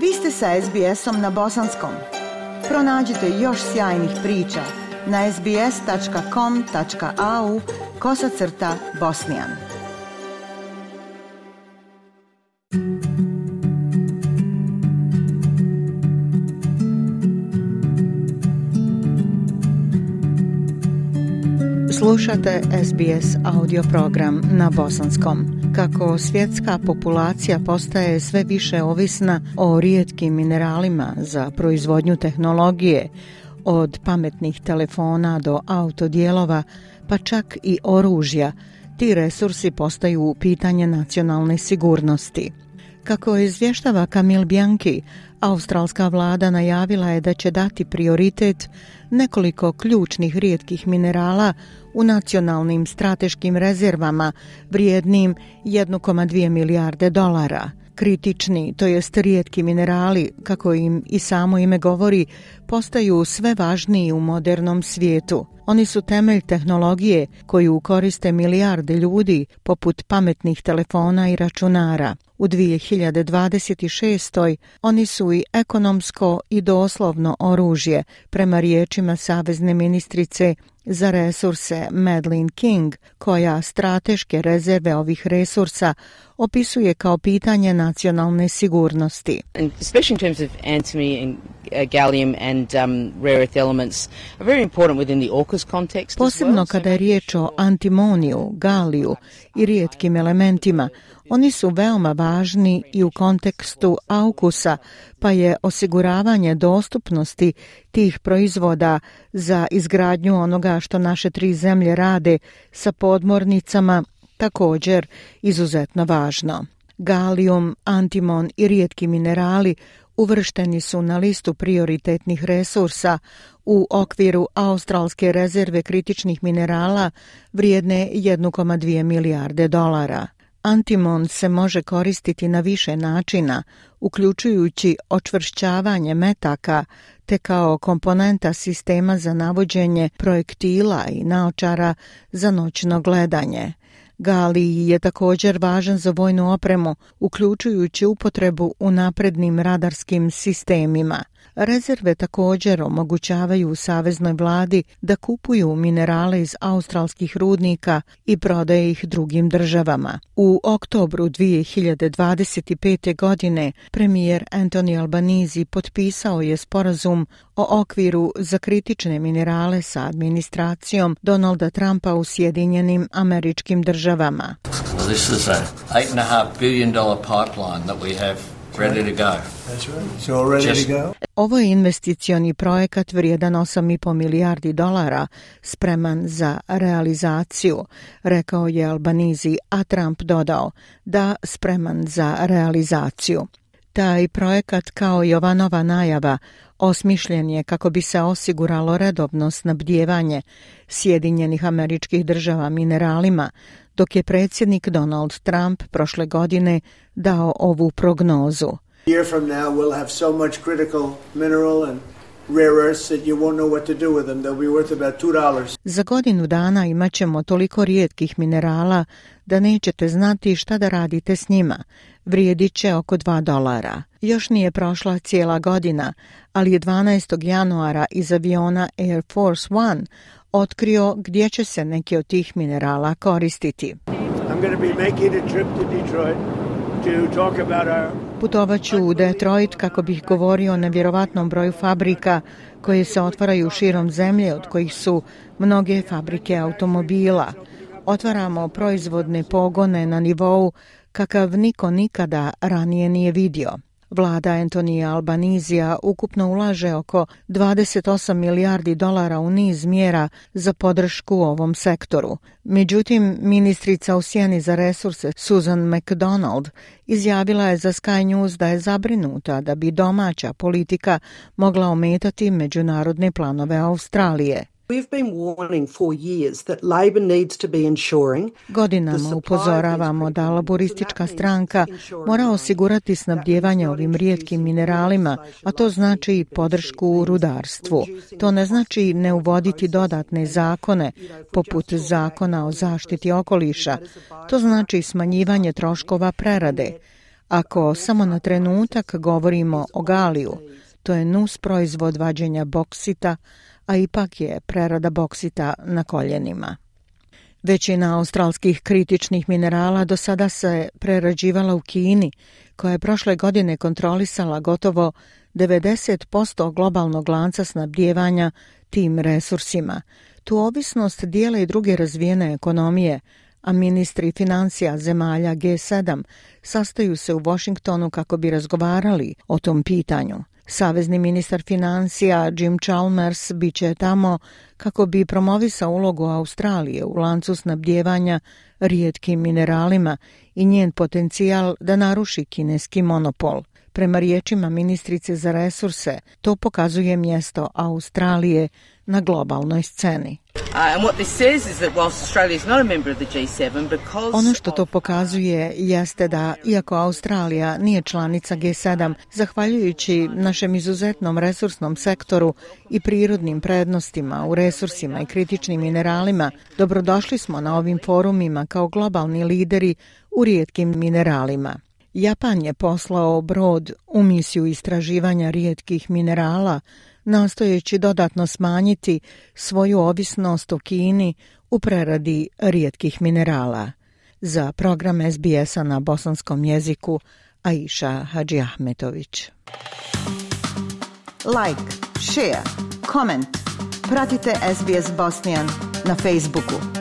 Vi ste sa SBS-om na bosanskom. Pronađite još sjajnih priča na sbs.com.au/bosnian. Slušate SBS audio program na bosanskom. Kako svjetska populacija postaje sve više ovisna o rijetkim mineralima za proizvodnju tehnologije, od pametnih telefona do autodijelova, pa čak i oružja, ti resursi postaju pitanje nacionalne sigurnosti. Kako izvještava Camille Bianchi, australska vlada najavila je da će dati prioritet nekoliko ključnih rijetkih minerala u nacionalnim strateškim rezervama vrijednim 1,2 milijarde dolara. Kritični, to jest rijetki minerali, kako im i samo ime govori, postaju sve važniji u modernom svijetu. Oni su temelj tehnologije koju koriste milijarde ljudi, poput pametnih telefona i računara. U 2026. oni su i ekonomsko i doslovno oružje, prema riječima savezne ministrice za resurse Madeleine King, koja strateške rezerve ovih resursa opisuje kao pitanje nacionalne sigurnosti. Especially in terms of antimony and gallium and rare earth elements are very important within the AUKUS context. Posebno kada je riječ o antimoniju, galiju i rijetkim elementima, oni su veoma važni i u kontekstu AUKUS-a, pa je osiguravanje dostupnosti tih proizvoda za izgradnju onoga što naše tri zemlje rade sa podmornicama također izuzetno važno. Galijum, antimon i rijetki minerali uvršteni su na listu prioritetnih resursa u okviru australske rezerve kritičnih minerala vrijedne 1,2 milijarde dolara. Antimon se može koristiti na više načina, uključujući očvršćavanje metaka te kao komponenta sistema za navođenje projektila i naočara za noćno gledanje. Galij je također važan za vojnu opremu, uključujući upotrebu u naprednim radarskim sistemima. Rezerve također omogućavaju saveznoj vladi da kupuju minerale iz australskih rudnika i prodaje ih drugim državama. U oktobru 2025. godine premijer Anthony Albanese potpisao je sporazum o okviru za kritične minerale sa administracijom Donalda Trumpa u Sjedinjenim Američkim Državama. This is a $8.5 billion pipeline that we have ready to go. That's right. It's all ready to go. Ovo je investicioni projekat vrijedan 8,5 milijardi dolara, spreman za realizaciju, rekao je Albanese, a Trump dodao da spreman za realizaciju. Taj projekat, kao i ova nova najava, osmišljen je kako bi se osiguralo redovno snabdijevanje Sjedinjenih Američkih Država mineralima, dok je predsjednik Donald Trump prošle godine dao ovu prognozu. A year from now we'll have so much critical mineral and rare earths that you won't know what to do with them. They'll be worth about $2. Za godinu dana imat ćemo toliko rijetkih minerala da nećete znati šta da radite s njima. Vrijedit će oko $2. Još nije prošla cijela godina, ali je 12. januara iz aviona Air Force One otkrio gdje će se neki od tih minerala koristiti. I'm going to be making a trip to Detroit to talk about our... Putovaću u Detroit kako bih govorio o nevjerovatnom broju fabrika koje se otvaraju širom zemlje, od kojih su mnoge fabrike automobila. Otvaramo proizvodne pogone na nivou kakav niko nikada ranije nije vidio. Vlada Anthony Albanesea ukupno ulaže oko 28 milijardi dolara u niz mjera za podršku ovom sektoru. Međutim, ministrica u sjeni za resurse Susan McDonald izjavila je za Sky News da je zabrinuta da bi domaća politika mogla ometati međunarodne planove Australije. Godinama upozoravamo da laboristička stranka mora osigurati snabdijevanje ovim rijetkim mineralima, a to znači i podršku u rudarstvu. To ne znači ne uvoditi dodatne zakone, poput zakona o zaštiti okoliša. To znači smanjivanje troškova prerade. Ako samo na trenutak govorimo o galiju, to je nus proizvod vađenja boksita, a ipak je prerada boksita na koljenima. Većina australskih kritičnih minerala do sada se prerađivala u Kini, koja je prošle godine kontrolisala gotovo 90% globalnog lanca snabdijevanja tim resursima. Tu ovisnost dijele i druge razvijene ekonomije, a ministri financija zemalja G7 sastaju se u Washingtonu kako bi razgovarali o tom pitanju. Savezni ministar financija Jim Chalmers biće tamo kako bi promovisao ulogu Australije u lancu snabdijevanja rijetkim mineralima i njen potencijal da naruši kineski monopol. Prema riječima ministrice za resurse, to pokazuje mjesto Australije na globalnoj sceni. Ono što to pokazuje jeste da, iako Australija nije članica G7, zahvaljujući našem izuzetnom resursnom sektoru i prirodnim prednostima u resursima i kritičnim mineralima, dobrodošli smo na ovim forumima kao globalni lideri u rijetkim mineralima. Japan je poslao brod u misiju istraživanja rijetkih minerala, nastojeći dodatno smanjiti svoju ovisnost o Kini u preradi rijetkih minerala. Za program SBS-a na bosanskom jeziku, Aisha Hadžiahmetović. Like, share, comment. Pratite SBS Bosnian na Facebooku.